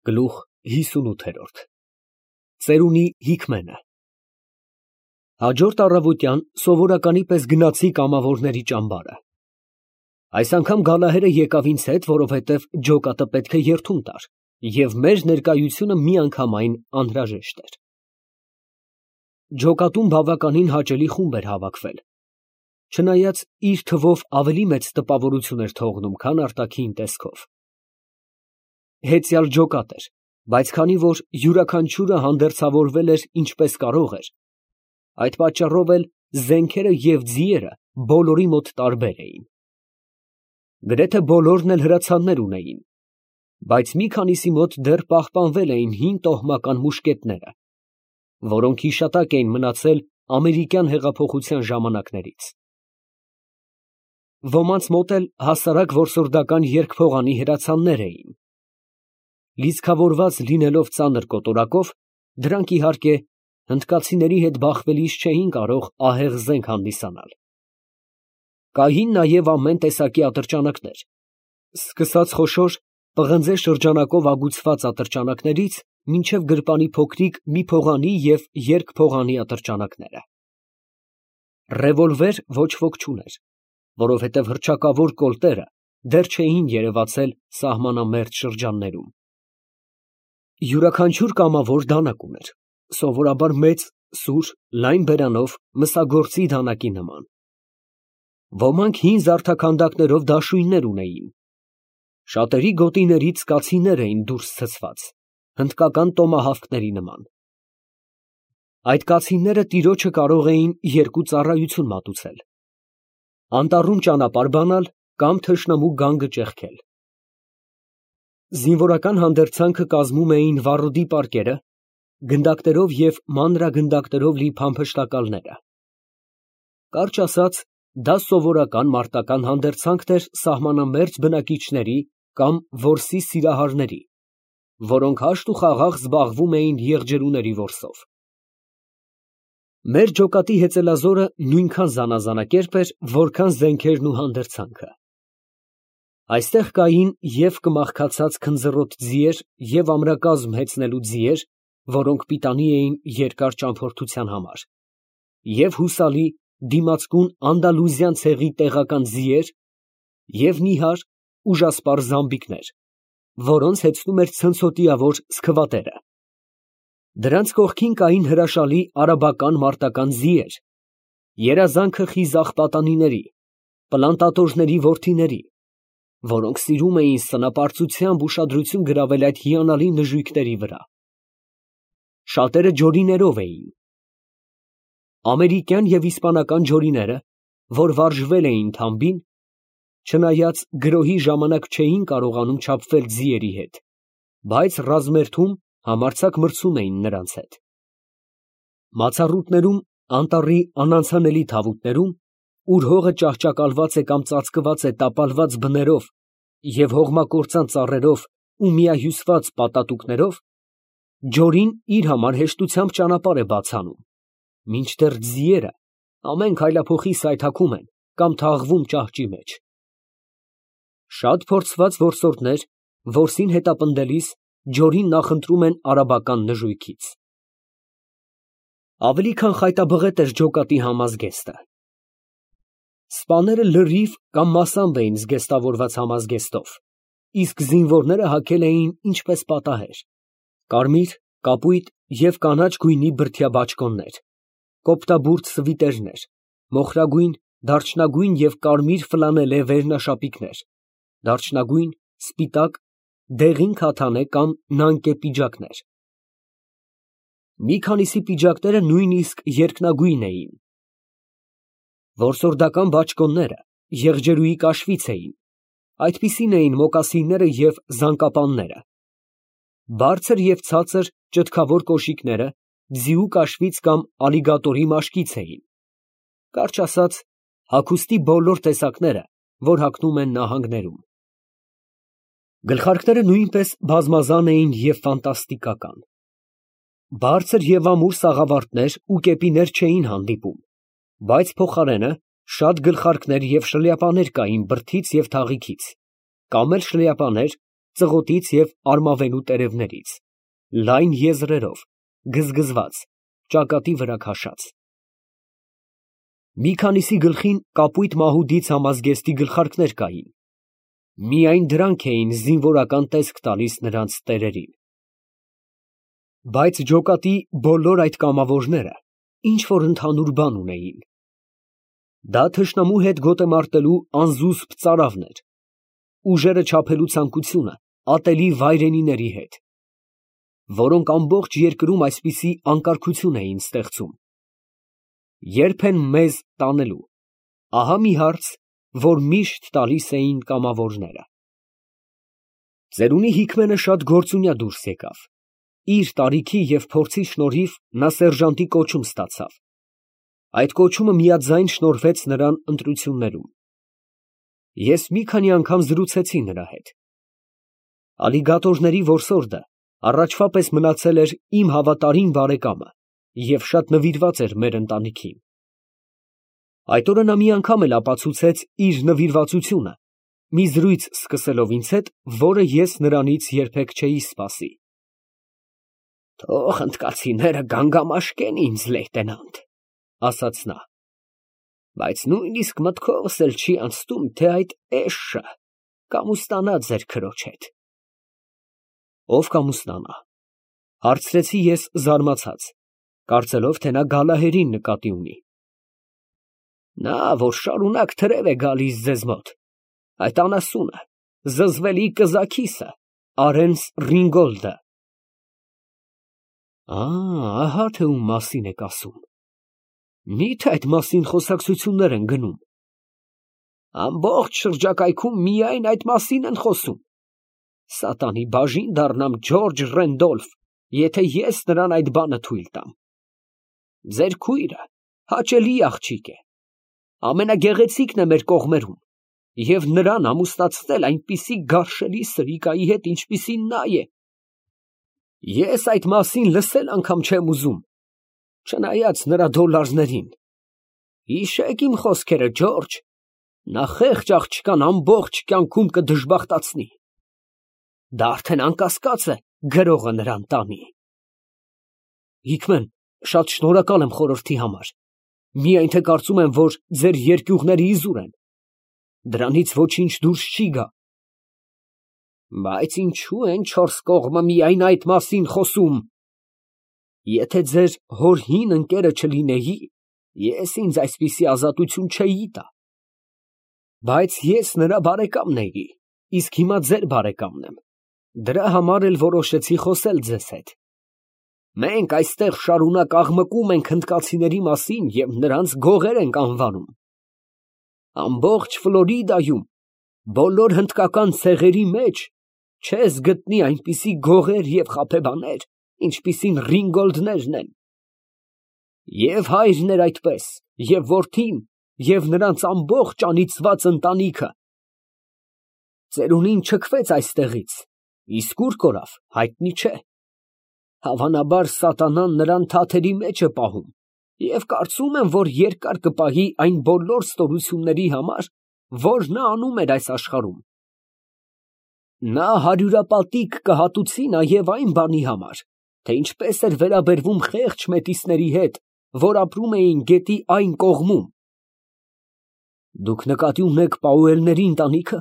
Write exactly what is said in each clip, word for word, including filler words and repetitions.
Գլուխ հիսունութ Ծերունի Հիկմենը Հաջորդ առավոտյան սովորականի պես գնացի կամավորների ճամբարը։ Այս անգամ Գալահերը եկավ ինձ հետ, որովհետև ջոկատը պետք է երդում տար, և մեր ներկայությունը միանգամայն անհրաժեշտ էր։ Ջոկատում բավականին հաճելի խումբ էր հավաքվել, չնայած իր թվով ավելի մեծ տպավորություն էր թողնում, քան արտաքին տեսքով։ Հեծյալ ջոկատ էր, բայց քանի որ յուրաքանչյուրը հանդերձավորվել էր ինչպես կարող էր, այդ պատճառով էլ զենքերը և ձիերը բոլորի մոտ տարբեր էին։ Գրեթե բոլորն էլ հրացաններ ունեին, բայց մի քանիսի մոտ դեռ պահպանվել էին հին տոհմական մուշկետները, որոնք հիշատակ էին մնացել ամերիկյան հեղափոխության ժամանակներից։ Ոմանց մոտ էլ հասարակ որսորդական երկփողանի հրացաններ էին։ Լիցքավորված լինելով ծանր կոտորակով, դրանք, իհարկե, հնդկացիների հետ բախվելիս չէին կարող ահեղ զենք հանդիսանալ։ Կային նաև ամեն տեսակի ատրճանակներ, սկսած խոշոր պղնձե շրջանակով ագուցված ատրճանակներից մինչև գրպանի փոքրիկ մի փողանի և երկփողանի ատրճանակները։ Ռևոլվեր ոչ ոք չուներ, որովհետև հռչակավոր կոլտերը դեռ չէին երևացել սահմանամերձ շրջաններում։ Յուրաքանչյուր կամավոր դանակ ուներ, սովորաբար մեծ, սուր, լայն բերանով մսագործի դանակի նման։ Ոմանք հին զարդաքանդակներով դաշույններ ունեին։ Շատերի գոտիներից կացիններ էին դուրս ցցված, հնդկական տոմահավքների նման։ Այդ կացինները տիրոջը կարող էին երկու ծառայություն մատուցել. անտառում ճանապարհ բանալ կամ թշնամու գանգը ճեղքել։ Զինվորական հանդերձանքը կազմում էին վառոդի պարկերը, գնդակներով և մանրագնդակներով լի փամփշտակալները։ Կարճ ասած, դա սովորական մարտական հանդերձանքն էր սահմանամերձ բնակիչների կամ որսի սիրահարների, որոնք հաշտ ու խաղաղ զբաղվում էին եղջերուների որսով։ Մեր ջոկատի հեծելազորը նույնքան զանազանակերպ էր, որքան զենքերն ու հանդերձանքը։ Այստեղ կային և կմախքացած քնձռոտ ձիեր և ամրակազմ հեծնելու ձիեր, որոնք պիտանի էին երկար ճամփորդության համար, և հուսալի, դիմացկուն անդալուզյան ցեղի տեղական ձիեր և նիհար, ուժասպառ զամբիկներ, որոնց հեծնում էր ցնցոտիավոր սքվատերը։ Դրանց կողքին կային հրաշալի արաբական մարտական ձիեր, երազանքը խիզախ պատանիների, պլանտատորների որդիների, որոնք սիրում էին սնապարծությամբ ուշադրություն գրավել այդ հիանալի նժույգների վրա։ Շատերը ջորիներով էին։ Ամերիկյան և իսպանական ջորիները, որ վարժվել էին թամբին, չնայած գրոհի ժամանակ չէին կարողանում չափվել ձիերի հետ, բայց ռազմերթում համարձակ մրցում էին նրանց հետ։ Մացառուտներում, անտառի անանցանելի թավուտներում, ուր հողը ճահճակալված է կամ ծածկված է տապալված բներով և հողմակործան ծառերով ու միահյուսված պատատուկներով, ջորին իր համար հեշտությամբ ճանապարհ է բաց անում, մինչդեռ ձիերը ամեն քայլափոխի սայթաքում են կամ թաղվում ճահճի մեջ։ Շատ փորձված որսորդներ որսին հետապնդելիս ջորին նախընտրում են արաբական նժույգից։ Ավելի քան խայտաբղետ էր ջոկատի համազգեստը։ Սպաները լրիվ կամ մասամբ էին զգեստավորված համազգեստով, իսկ զինվորները հագել էին ինչպես պատահեր՝ կարմիր, կապույտ և կանաչ գույնի բրդյա բաճկոններ, կոպտաբուրդ սվիտերներ, մոխրագույն, դարչնագույն և կարմիր ֆլանելե վերնաշապիկներ, դարչնագույն, սպիտակ, դեղին քաթանե կամ նանկե պիջակներ։ Մի քանիսի պիջակները նույնիսկ երկնագույն էին։ Որսորդական բաճկոնները եղջերուի կաշվից էին, այդպիսին էին մոկասինները և զանկապանները։ Բարձր և ցածր ճտկավոր կոշիկները ձիու կաշվից կամ ալիգատորի մաշկից էին, կարճ ասած, հագուստի բոլոր տեսակները, որ հագնում են նահանգներում։ Գլխարկները նույնպես բազմազան էին և ֆանտաստիկական։ Բարձր և ամուր սաղավարտներ ու կեպիներ չէին հանդիպում, բայց փոխարենը շատ գլխարկներ և շլյապաներ կային բրդից և թաղիքից, կամ էլ շլյապաներ, ծղոտից և արմավենու տերևներից, լայն եզրերով, գզգզված, ճակատի վրա քաշած։ Մի քանիսի գլխին կապույտ մահուդից համազգեստի գլխարկներ կային, միայն դրանք էին զինվորական տեսք տալիս նրանց տերերին։ Բայց ջոկատի բոլոր այդ կամավորները ինչ-որ ընդհանուր բան ունեին. դա թշնամու հետ գոտ է մարտելու անզուսպ ծարավն էր, ուժերը չափելու ցանկությունը ատելի վայրենիների հետ, որոնք ամբողջ երկրում այսպիսի անկարգություն էին ստեղծում։ Երբ են մեզ տանելու, ահա մի հարց, որ միշտ տալիս էին կամավորները։ Ծերունի Հիկմենը շատ գործունյա դուրս եկավ, իր տարիքի և փորձի շնորհիվ նա սերժանտի կոչում ստացավ, այդ կոչումը միաձայն շնորհվեց նրան ընտրություններում։ Ես մի քանի անգամ զրուցեցի նրա հետ։ Ալիգատորների որսորդը առաջվա պես մնացել էր իմ հավատարիմ բարեկամը և շատ նվիրված էր մեր ընտանիքին։ Այդ օրը նա մի անգամ էլ ապացուցեց իր նվիրվածությունը, մի զրույց սկսելով ինձ հետ, որը ես նրանից երբեք չէի սպասի։ «Թող հնդկացիները գանգամաշկեն ինձ, լեյտենանտ», ասաց նա, բայց նույնիսկ մտքովս էլ չի անցնում, թե այդ էշը կամուստանա ձեր քրոջ հետ։ Ո՞վ կամուստանա, հարցրեցի ես զարմացած, կարծելով, թե նա Գալահերին նկատի ունի։ Նա, որ շարունակ թրև է գալիս ձեզ մոտ, այդ անասունը, զզվելի կզաքիսը, Արենս Ռինգոլդը։ Ահա թե ում մասին եք ասում։ Մի՞թե այդ մասին խոսակցություններ են գնում։ Ամբողջ շրջակայքում միայն այդ մասին են խոսում։ Սատանի բաժին դառնամ Ջորջ Ռենդոլֆ, եթե ես նրան այդ բանը թույլ տամ։ Ձեր քույրը հաճելի աղջիկ է, ամենագեղեցիկն է մեր կողմերում, և նրան ամուսնացնել այնպիսի գարշելի սրիկայի հետ, ինչպիսին նա է։ Ես այդ մասին լսել անգամ չեմ ուզում, չնայած նրա դոլարներին։ Հիշեք իմ խոսքերը, Ջորջ, նա խեղճ աղջկան ամբողջ կյանքում կդժբախտացնի։ Դա արդեն անկասկած է, գրողը նրան տանի։ Հիկմեն, շատ շնորհակալ եմ խորհրդի համար, միայն թե կարծում եմ, որ ձեր երկյուղները իզուր են, դրանից ոչինչ դուրս չի գա։ Բայց ինչու են չորս կողմը միայն այդ մասին խոսում։ Եթե ձեր հոր հին ընկերը չլինեի, ես ինձ այսպիսի ազատություն չէի տա։ Բայց ես նրա բարեկամն էի, իսկ հիմա ձեր բարեկամն եմ, դրա համար էլ որոշեցի խոսել ձեզ հետ։ Մենք այստեղ շարունակ աղմկում ենք հնդկացիների մասին և նրանց գողեր ենք անվանում։ Ամբողջ Ֆլորիդայում, բոլոր հնդկական ցեղերի մեջ չես գտնի այնպիսի գողեր և խաբեբաներ, ինչպիսին Ռինգոլդներն են։ Եվ հայրն էր այդպես, և որդին, և նրանց ամբողջ անիծված ընտանիքը։ Ծերունին չքվեց այստեղից, իսկ ուր կորավ, հայտնի չէ։ Հավանաբար սատանան նրան թաթերի մեջ է պահում, և կարծում եմ, որ երկար կպահի այն բոլոր ստորությունների համար, որ նա անում էր այս աշխարհում։ Նա հարյուրապատիկ կհատուցի նաև այն բանի համար, թե ինչպես էր վերաբերվում խեղճ մետիսների հետ, որ ապրում էին գետի այն կողմում։ Դուք նկատի ունեք Պաուելների ընտանիքը։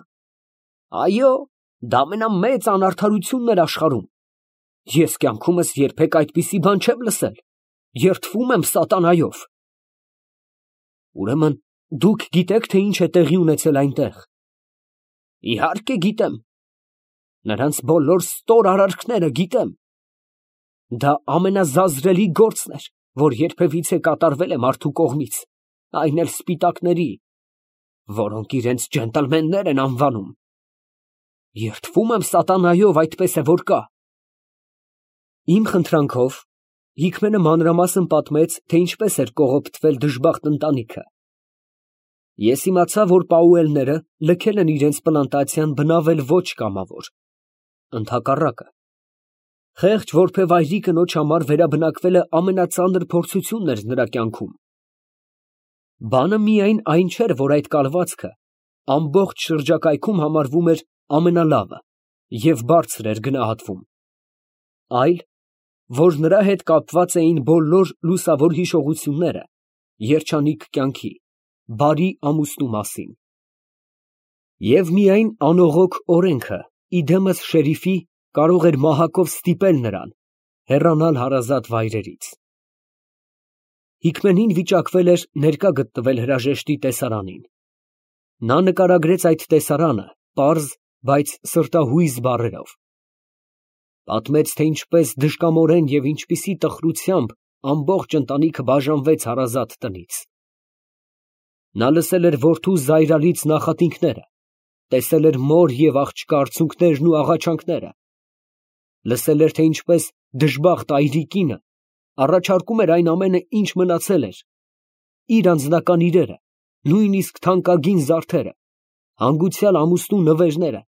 Այո, դա ամենամեծ անարդարությունն էր աշխարհում։ Ես կյանքումս երբեք այդպիսի բան չեմ լսել, երդվում եմ սատանայով։ Ուրեմն դուք գիտեք, թե ինչ է տեղի ունեցել այնտեղ։ Իհարկե գիտեմ։ Նրանց բոլոր ստոր արարքները գիտեմ։ Դա ամենազազրելի գործն էր, որ երբևիցե կատարվել է մարդու կողմից, այն էլ սպիտակների, որոնք իրենց ջենտլմեններ են անվանում։ Երդվում եմ սատանայով, այդպես է որ կա։ Իմ խնդրանքով Հիկմենը մանրամասն պատմեց, թե ինչպես էր կողոպտվել դժբախտ ընտանիքը։ Ես իմացա, որ Պաուելները լքել են իրենց պլանտացիան բնավել ոչ կամավոր, ընդհակառակը։ Խեղճ որբևայրի կնոջ համար վերաբնակվելը ամենածանր փորձությունն էր նրա կյանքում։ Բանը միայն այն չէր, որ այդ կալվածքը ամբողջ շրջակայքում համարվում էր ամենալավը, և բարձր էր գնահատվում, այլ, որ նրա հետ կապված էին բոլոր լուսավոր հիշողությունները երջանիկ կյանքի, բարի ամուսնու մասին, և միայն անողոք օրենքը, իդեմս շերիֆի, կարող էր մահակով ստիպել նրան հեռանալ հարազատ վայրերից։ Հիկմենին վիճակվել էր ներկա գտնվել հրաժեշտի տեսարանին։ Նա նկարագրեց այդ տեսարանը պարզ, բայց սրտահույզ բառերով, պատմեց, թե ինչպես դժկամորեն և ինչպիսի տխրությամբ ամբողջ ընտանիքը բաժանվեց հարազատ տնից։ Նա լսել էր որդու զայրալից նախատինքները, տեսել էր մոր և աղջկա արցունքներն ու աղաչանքները, լսել էր, թե ինչպես դժբախտ այրի կինը առաջարկում էր այն ամենը, ինչ մնացել էր, իր անձնական իրերը, նույնիսկ թանկագին զարդերը, հանգուցյալ ամուսնու նվերները,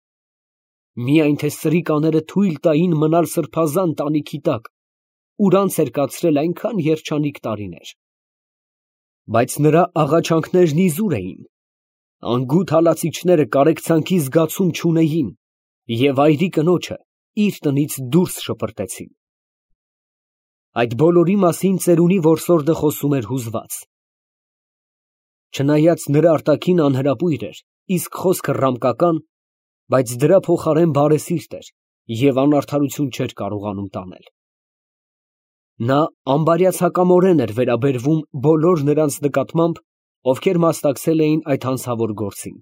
միայն թե սրիկաները թույլ տային մնալ սրբազան տանիքի տակ, ուր անց էր կացրել այնքան երջանիկ տարիներ։ Բայց նրա աղաչանքներն իզուր էին, անգութ հալածիչները կարեկցանքի զգացում չունեին և այրի կնոջը իր տնից դուրս շպրտեցին։ Այդ բոլորի մասին ծերունի որսորդը խոսում էր հուզված։ Չնայած նրա արտաքինը անհրապույր էր, իսկ խոսքը ռամկական, բայց դրա փոխարեն բարեսիրտ էր և անարդարություն չէր կարողանում տանել։ Նա անբարյացակամորեն էր վերաբերվում բոլոր նրանց նկատմամբ, ովքեր մասնակցել էին այդ հանցավոր գործին,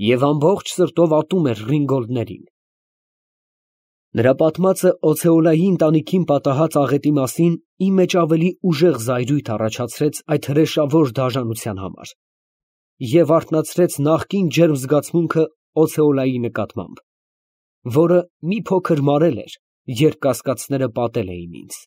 և ամբողջ սրտով ատում էր ռինգոլդներին։ Նրա պատմածը Օցեոլայի ընտանիքին պատահած աղետի մասին իմ մեջ ավելի ուժեղ զայրույթ առաջացրեց այդ հրեշավոր դաժանության համար և արթնացրեց նախկին ջերմ զգացմունքը Օցեոլայի նկատմամբ, որը մի փոքր մարել էր, երբ կասկածները պատել էին ինձ։